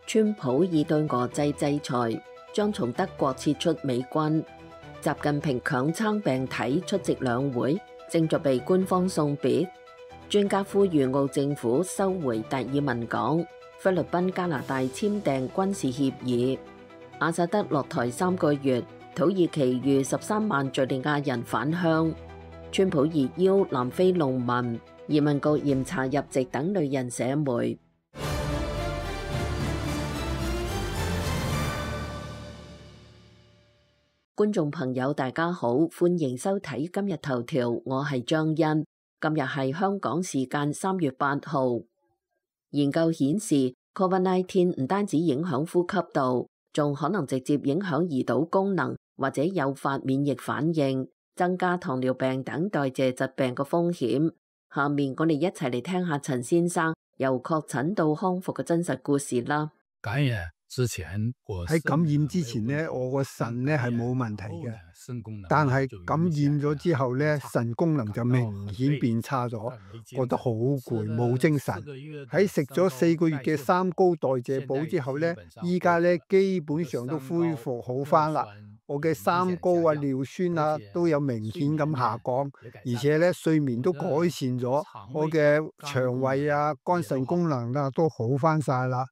川普已對俄制制裁，將從德國撤出美軍。習近平強撐病體出席兩會，正在被官方送別。專家呼籲澳政府收回達爾文港。菲律賓加拿大簽訂軍事協議。阿薩德落台3個月，土耳其逾13萬敘利亞人返鄉。川普熱邀南非農民。移民局嚴查入籍等類人社媒。觀眾朋友大家好，歡迎收睇今日頭條，我係張欣。今日係香港時間3月8號。研究顯示 ，COVID-19 唔單止影響呼吸道，仲可能直接影響胰島功能，或者誘發免疫反應，增加糖尿病等代謝疾病嘅風險。下面我哋一齊嚟聽下陳先生由確診到康復嘅真實故事啦。感染之前，喺感染之前呢，我個腎呢係冇問題嘅，但係感染咗之後呢，腎功能就明顯變差咗，覺得好攰，冇精神。喺食咗4個月嘅三高代謝補之後呢，依家呢基本上都恢復好返啦。我嘅三高啊、尿酸啊都有明顯咁下降，而且咧睡眠都改善咗，我嘅腸胃啊、肝腎功能啊都好翻晒啦。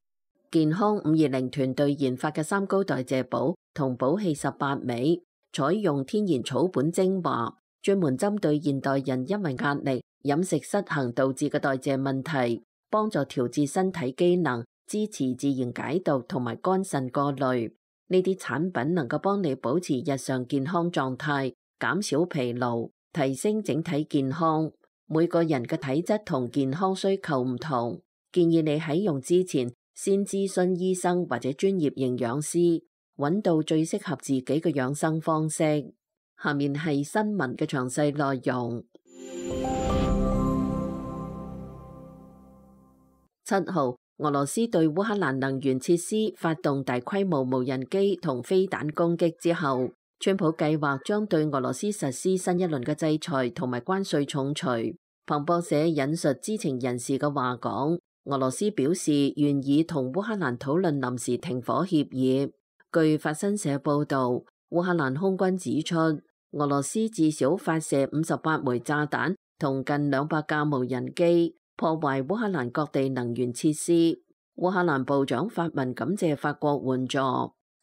健康520團隊研發嘅三高代謝補同補氣18味，採用天然草本精華，專門針對現代人因為壓力、飲食失衡導致嘅代謝問題，幫助調節身體機能，支持自然解毒同埋肝腎過濾。呢啲產品能夠幫你保持日常健康狀態，減少疲勞，提升整體健康。每個人嘅體質同健康需求唔同，建議你喺用之前先諮詢醫生或者專業營養師，揾到最適合自己嘅養生方式。下面係新聞嘅詳細內容。7號。俄羅斯對烏克蘭能源設施發動大規模無人機同飛彈攻擊之後，川普計劃將對俄羅斯實施新一輪嘅制裁同埋關稅重錘。彭博社引述知情人士嘅話講，俄羅斯表示願意同烏克蘭討論臨時停火協議。據法新社報道，烏克蘭空軍指出，俄羅斯至少發射58枚炸彈同近200架無人機，破壞烏克蘭各地能源設施。烏克蘭部長發文感謝法國援助。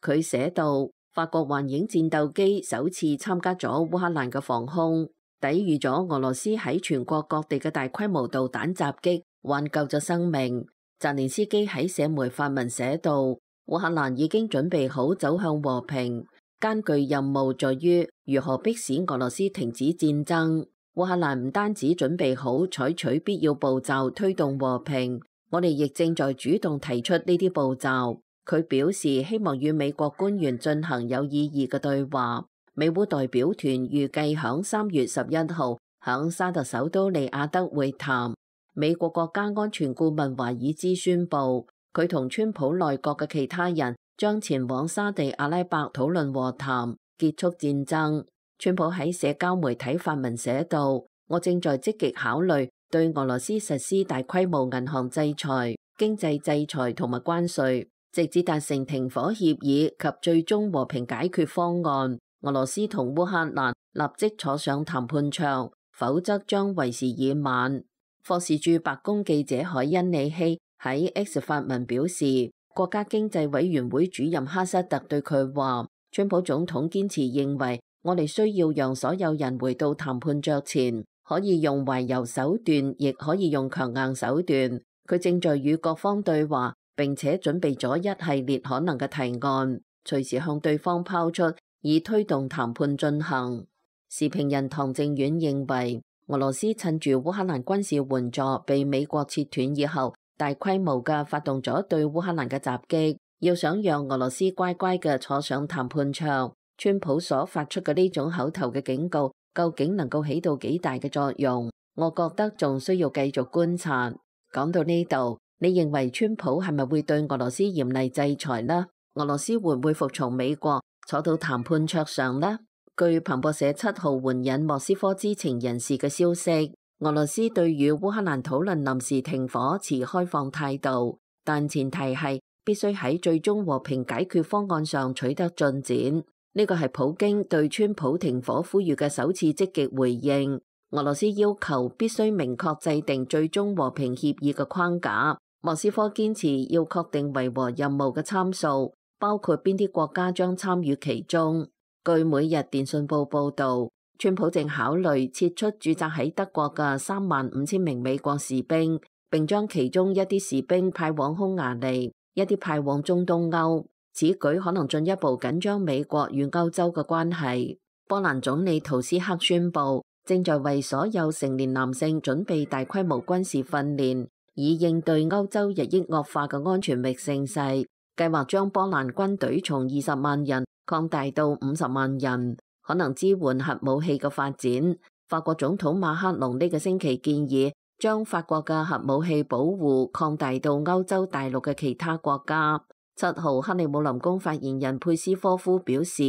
佢寫道：法國幻影戰鬥機首次參加咗烏克蘭嘅防空，抵禦咗俄羅斯喺全國各地嘅大規模導彈襲擊，挽救咗生命。澤連斯基喺社媒發文寫道：烏克蘭已經準備好走向和平，艱巨任務在於如何迫使俄羅斯停止戰爭。烏克蘭唔單止準備好採取必要步驟推動和平，我哋亦正在主動提出呢啲步驟。佢表示希望與美國官員進行有意義嘅對話。美烏代表團預計響3月11號響沙特首都利雅得會談。美國國家安全顧問華爾茲宣布，佢同川普內閣嘅其他人將前往沙地阿拉伯討論和談，結束戰爭。川普喺社交媒體發文寫道：我正在積極考慮對俄羅斯實施大規模銀行制裁、經濟制裁同埋關稅，直至達成停火協議及最終和平解決方案。俄羅斯同烏克蘭立即坐上談判桌，否則將為時已晚。霍士駐白宮記者海恩里希喺 X 發文表示，國家經濟委員會主任哈塞特對佢話：川普總統堅持認為，我哋需要讓所有人回到談判桌前，可以用懷柔手段，亦可以用強硬手段。佢正在與各方對話，並且準備咗一系列可能嘅提案，隨時向對方拋出，以推動談判進行。時評人唐正遠認為，俄羅斯趁住烏克蘭軍事援助被美國切斷以後，大規模嘅發動咗對烏克蘭嘅襲擊，要想讓俄羅斯乖乖嘅坐上談判桌。川普所發出嘅呢種口頭嘅警告，究竟能夠起到幾大嘅作用？我覺得仲需要繼續觀察。講到呢度，你認為川普係咪會對俄羅斯嚴厲制裁呢？俄羅斯會唔會服從美國，坐到談判桌上呢？據彭博社7號援引莫斯科知情人士嘅消息，俄羅斯對與烏克蘭討論臨時停火持開放態度，但前提係必須喺最終和平解決方案上取得進展。呢個係普京對川普停火呼籲嘅首次積極回應。俄羅斯要求必須明確制定最終和平協議嘅框架。莫斯科堅持要確定維和任務嘅參數，包括邊啲國家將參與其中。據每日電訊報報導，川普正考慮撤出駐紮喺德國嘅35000名美國士兵，並將其中一啲士兵派往匈牙利，一啲派往中東歐。此舉可能進一步緊張美國與歐洲嘅關係。波蘭總理圖斯克宣布，正在為所有成年男性準備大規模軍事訓練，以應對歐洲日益惡化嘅安全域盛勢。計劃將波蘭軍隊從20萬人擴大到50萬人，可能支援核武器嘅發展。法國總統馬克龍呢個星期建議，將法國嘅核武器保護擴大到歐洲大陸嘅其他國家。7號克里姆林宮發言人佩斯科夫表示，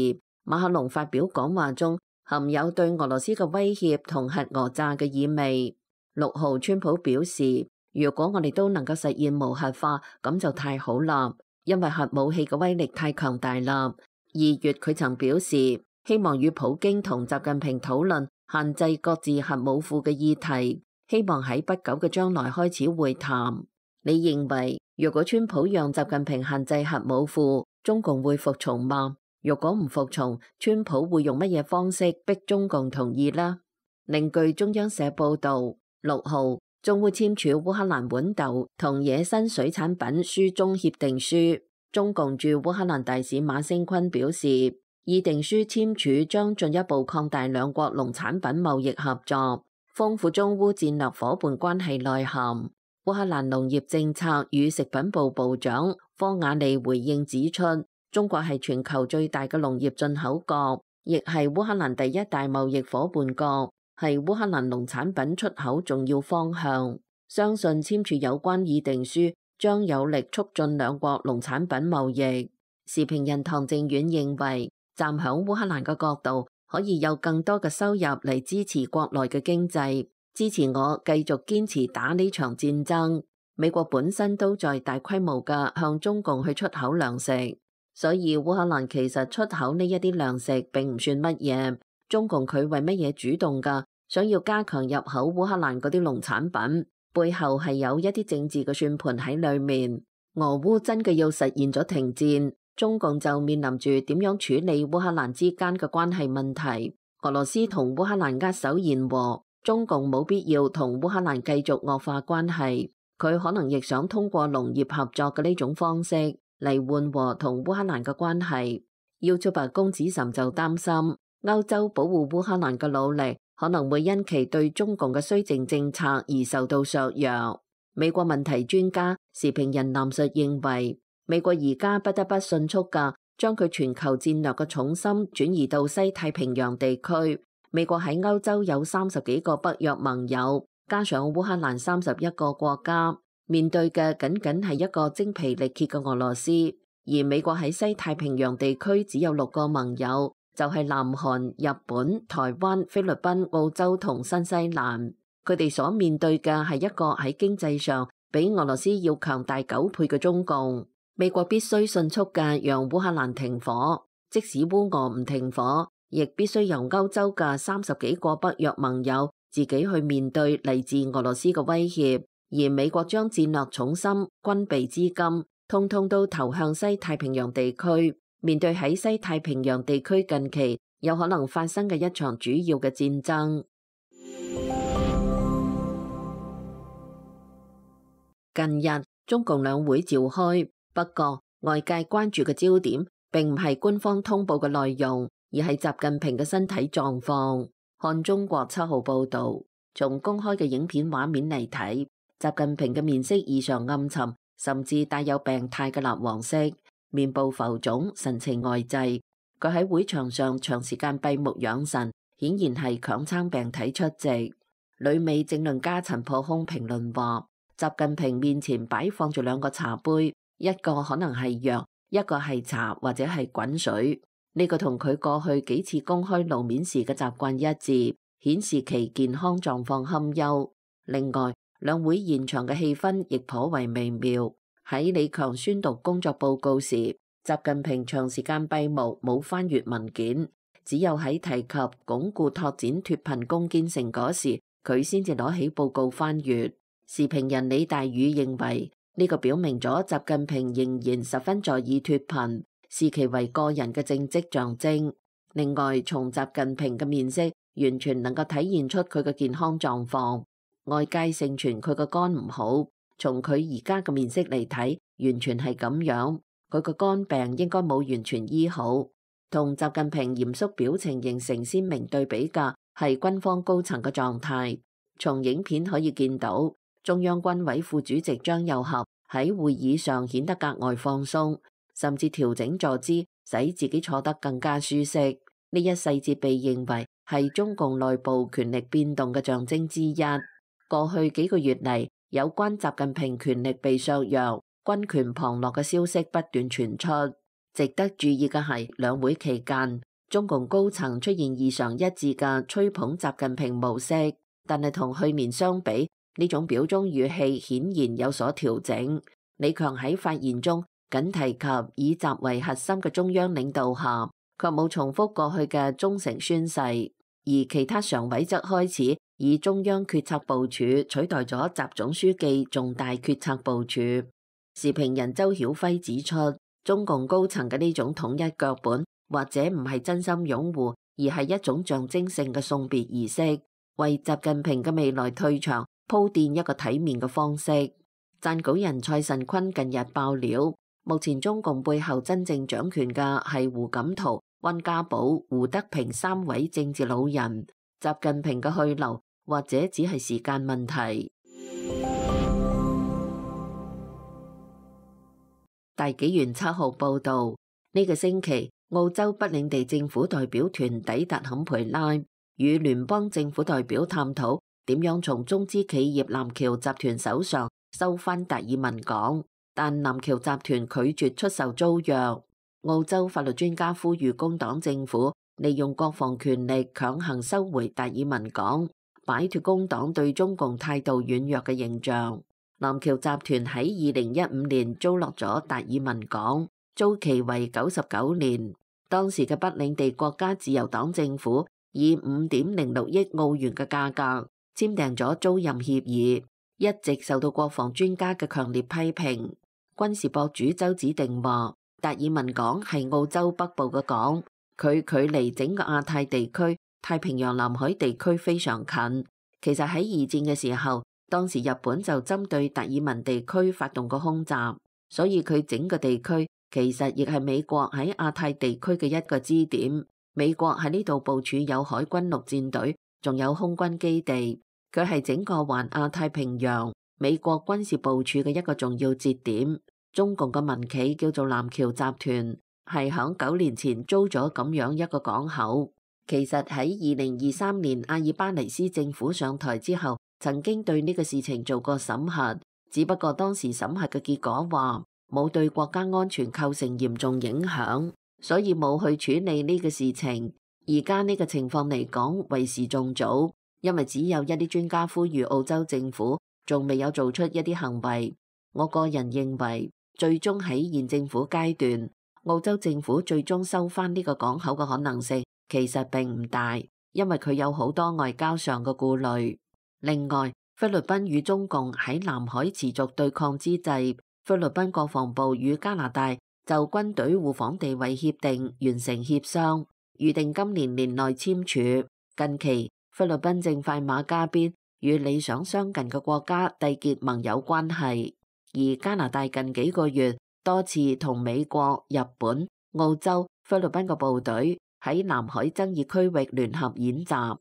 馬克龍發表講話中含有對俄羅斯嘅威脅同核訛詐嘅意味。6號川普表示，如果我哋都能夠實現無核化，咁就太好啦，因為核武器嘅威力太強大啦。2月佢曾表示，希望與普京同習近平討論限制各自核武庫嘅議題，希望喺不久嘅將來開始會談。你認為如果川普讓習近平限制核武庫，中共會服從嗎？如果唔服從，川普會用乜嘢方式逼中共同意呢？另據中央社報導，6號將會簽署烏克蘭豌豆同野生水產品書中協定書。中共駐烏克蘭大使馬星坤表示，議定書簽署將進一步擴大兩國農產品貿易合作，豐富中烏戰略夥伴關係內涵。烏克蘭農業政策與食品部部長科瓦利回應指出，中國係全球最大嘅農業進口國，亦係烏克蘭第一大貿易夥伴國，係烏克蘭農產品出口重要方向。相信簽署有關議定書將有力促進兩國農產品貿易。時評人唐正遠認為，站響烏克蘭嘅角度，可以有更多嘅收入嚟支持國內嘅經濟，支持我繼續堅持打呢場戰爭。美國本身都在大規模嘅向中共去出口糧食，所以烏克蘭其實出口呢一啲糧食並唔算乜嘢。中共佢為乜嘢主動㗎？想要加強入口烏克蘭嗰啲農產品，背後係有一啲政治嘅算盤喺裏面。俄烏真嘅要實現咗停戰，中共就面臨住點樣處理烏克蘭之間嘅關係問題。俄羅斯同烏克蘭握手言和，中共冇必要同烏克蘭繼續惡化關係，佢可能亦想通過農業合作嘅呢種方式嚟緩和同烏克蘭嘅關係。YouTuber公子岑就擔心，歐洲保護烏克蘭嘅努力可能會因其對中共嘅綏靖政策而受到削弱。美國問題專家時評人藍述認為，美國而家不得不迅速嘅將佢全球戰略嘅重心轉移到西太平洋地區。美國喺歐洲有30幾個北約盟友，加上烏克蘭31個國家，面對嘅僅僅係一個精疲力竭嘅俄羅斯。而美國喺西太平洋地區只有6個盟友，就係南韓、日本、台灣、菲律賓、澳洲同新西蘭。佢哋所面對嘅係一個喺經濟上比俄羅斯要強大9倍嘅中共。美國必須迅速嘅讓烏克蘭停火，即使烏俄唔停火，亦必須由歐洲嘅30幾個北約盟友自己去面對嚟自俄羅斯嘅威脅。而美國將戰略重心、軍備資金通通都投向西太平洋地區，面對喺西太平洋地區近期有可能發生嘅一場主要嘅戰爭。近日中共兩會召開，不過外界關注嘅焦點並唔係官方通報嘅內容，而係習近平嘅身體狀況。看中國7號報導，從公開嘅影片畫面嚟睇，習近平嘅面色異常暗沉，甚至帶有病態嘅蠟黃色，面部浮腫，神情呆滯。佢喺會場上長時間閉目養神，顯然係強撐病體出席。旅美政論家陳破空評論話，習近平面前擺放住2個茶杯，一個可能係藥，一個係茶或者係滾水。呢個同佢過去幾次公開露面時嘅習慣一致，顯示其健康狀況堪憂。另外，兩會現場嘅氣氛亦頗為微妙。喺喺李強宣讀工作報告時，習近平長時間閉目冇翻閱文件，只有喺提及鞏固拓展脫貧攻堅成果時，佢先至攞起報告翻閱。時評人李大宇認為，呢個表明咗習近平仍然十分在意脫貧，視其為個人嘅政績象徵。另外，從習近平嘅面色，完全能夠體現出佢嘅健康狀況。外界盛傳佢個肝唔好，從佢而家嘅面色嚟睇，完全係咁樣。佢個肝病應該冇完全醫好。同習近平嚴肅表情形成鮮明對比嘅係軍方高層嘅狀態。從影片可以見到，中央軍委副主席張又俠喺會議上顯得格外放鬆，甚至調整坐姿，使自己坐得更加舒適。呢一細節被認為係中共內部權力變動嘅象徵之一。過去幾個月嚟，有關習近平權力被削弱、軍權旁落嘅消息不斷傳出。值得注意嘅係，兩會期間，中共高層出現異常一致嘅吹捧習近平模式，但係同去年相比，呢種表忠語氣顯然有所調整。李強喺發言中僅提及以習為核心嘅中央領導下，卻冇重複過去嘅忠誠宣誓，而其他常委則開始以中央決策部署取代咗習總書記重大決策部署。時評人周曉輝指出，中共高層嘅呢種統一腳本，或者唔係真心擁護，而係一種象徵性嘅送別儀式，為習近平嘅未來退場鋪墊一個體面嘅方式。撰稿人蔡慎坤近日爆料，目前中共背後真正掌權嘅係胡錦濤、溫家寶、胡德平三位政治老人，習近平嘅去留或者只係時間問題。大紀元7號報道，呢個星期澳洲北領地政府代表團抵達坎培拉，與聯邦政府代表探討點樣從中資企業南橋集團手上收翻達爾文港，但南橋集團拒絕出售租約。澳洲法律專家呼籲工黨政府利用國防權力強行收回達爾文港，擺脫工黨對中共態度軟弱嘅形象。南橋集團喺2015年租落咗達爾文港，租期為99年。當時嘅北領地國家自由黨政府以5.06億澳元嘅價格簽訂咗租賃協議，一直受到國防專家嘅強烈批評。軍事博主周子定話，達爾文港係澳洲北部嘅港，佢距離整個亞太地區、太平洋南海地區非常近。其實喺二戰嘅時候，當時日本就針對達爾文地區發動過空襲，所以佢整個地區其實亦係美國喺亞太地區嘅一個支點。美國喺呢度部署有海軍陸戰隊，仲有空軍基地，佢係整個環亞太平洋美國軍事部署嘅一個重要節點。中共嘅民企叫做南橋集團，係響9年前租咗咁樣一個港口。其實喺2023年阿爾巴尼斯政府上台之後，曾經對呢個事情做過審核，只不過當時審核嘅結果話冇對國家安全構成嚴重影響，所以冇去處理呢個事情。而家呢個情況嚟講，為時仲早，因為只有一啲專家呼籲澳洲政府，仲未有做出一啲行為。我個人認為，最終喺現政府階段，澳洲政府最終收翻呢個港口嘅可能性其實並唔大，因為佢有好多外交上嘅顧慮。另外，菲律賓與中共喺南海持續對抗之際，菲律賓國防部與加拿大就軍隊互訪地位協定完成協商，預定今年年內簽署。近期，菲律賓正快馬加鞭與理想相近嘅國家締結盟友關係，而加拿大近幾個月多次同美國、日本、澳洲、菲律賓嘅部隊喺南海爭議區域聯合演習。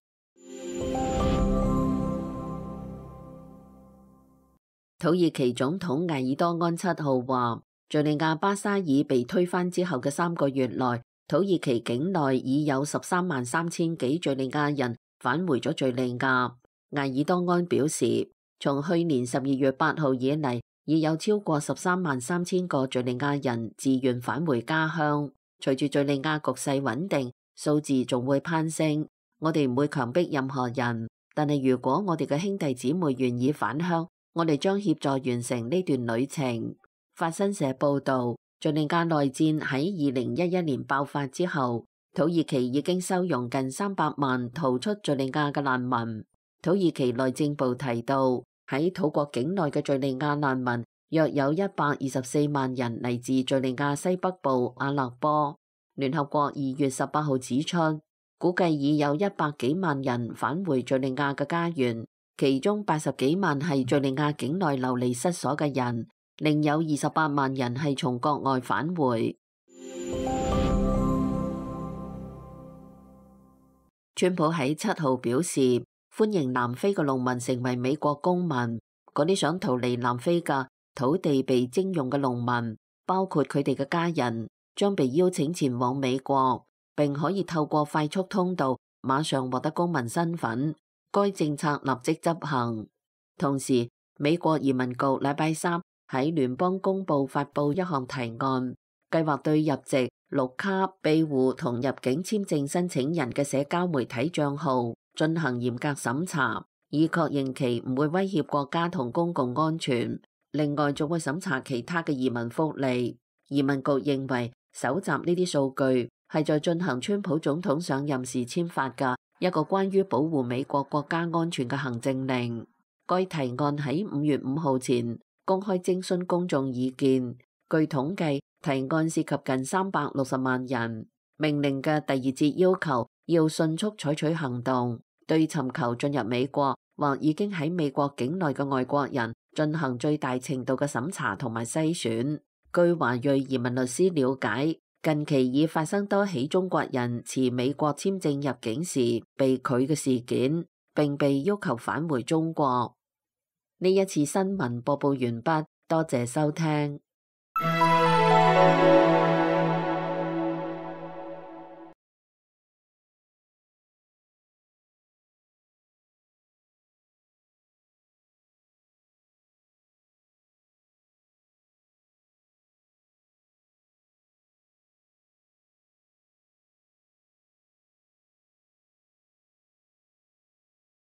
土耳其總統艾爾多安7號話，敘利亞巴沙爾被推翻之後嘅3個月內，土耳其境內已有133000幾敘利亞人返回咗敘利亞。艾爾多安表示，從去年12月8號以嚟，已有超過133000個敘利亞人自願返回家鄉。隨住敘利亞局勢穩定，數字仲會攀升。我哋唔會強迫任何人，但係如果我哋嘅兄弟姊妹願意返鄉，我哋將協助完成呢段旅程。法新社報導，敘利亞內戰喺2011年爆發之後，土耳其已經收容近300萬逃出敘利亞嘅難民。土耳其內政部提到，喺土國境內嘅敘利亞難民約有124萬人嚟自敘利亞西北部阿勒坡。聯合國2月18號指出，估計已有100幾萬人返回敘利亞嘅家園，其中80幾萬係敘利亞境內流離失所嘅人，另有28萬人係從國外返回。川普喺7號表示，歡迎南非嘅農民成為美國公民。嗰啲想逃離南非嘅土地被徵用嘅農民，包括佢哋嘅家人，將被邀請前往美國，並可以透過快速通道馬上獲得公民身份。該政策立即執行。同時，美國移民局禮拜三喺聯邦公報發布一項提案，計劃對入籍、綠卡、庇護同入境簽證申請人嘅社交媒體賬號進行嚴格審查，以確認其唔會威脅國家同公共安全。另外，仲會審查其他嘅移民福利。移民局認為，搜集呢啲數據係在進行川普總統上任時簽發嘅一個關於保護美國國家安全嘅行政令。該提案喺5月5號前公開徵詢公眾意見。據統計，提案涉及近360萬人。命令嘅第2節要求要迅速採取行動，對尋求進入美國或已經喺美國境內嘅外國人進行最大程度嘅審查同埋篩選。據華裔移民律師了解，近期已發生多起中國人持美國簽證入境時被拒嘅事件，並被要求返回中國。呢一次新聞播報完畢，多謝收聽。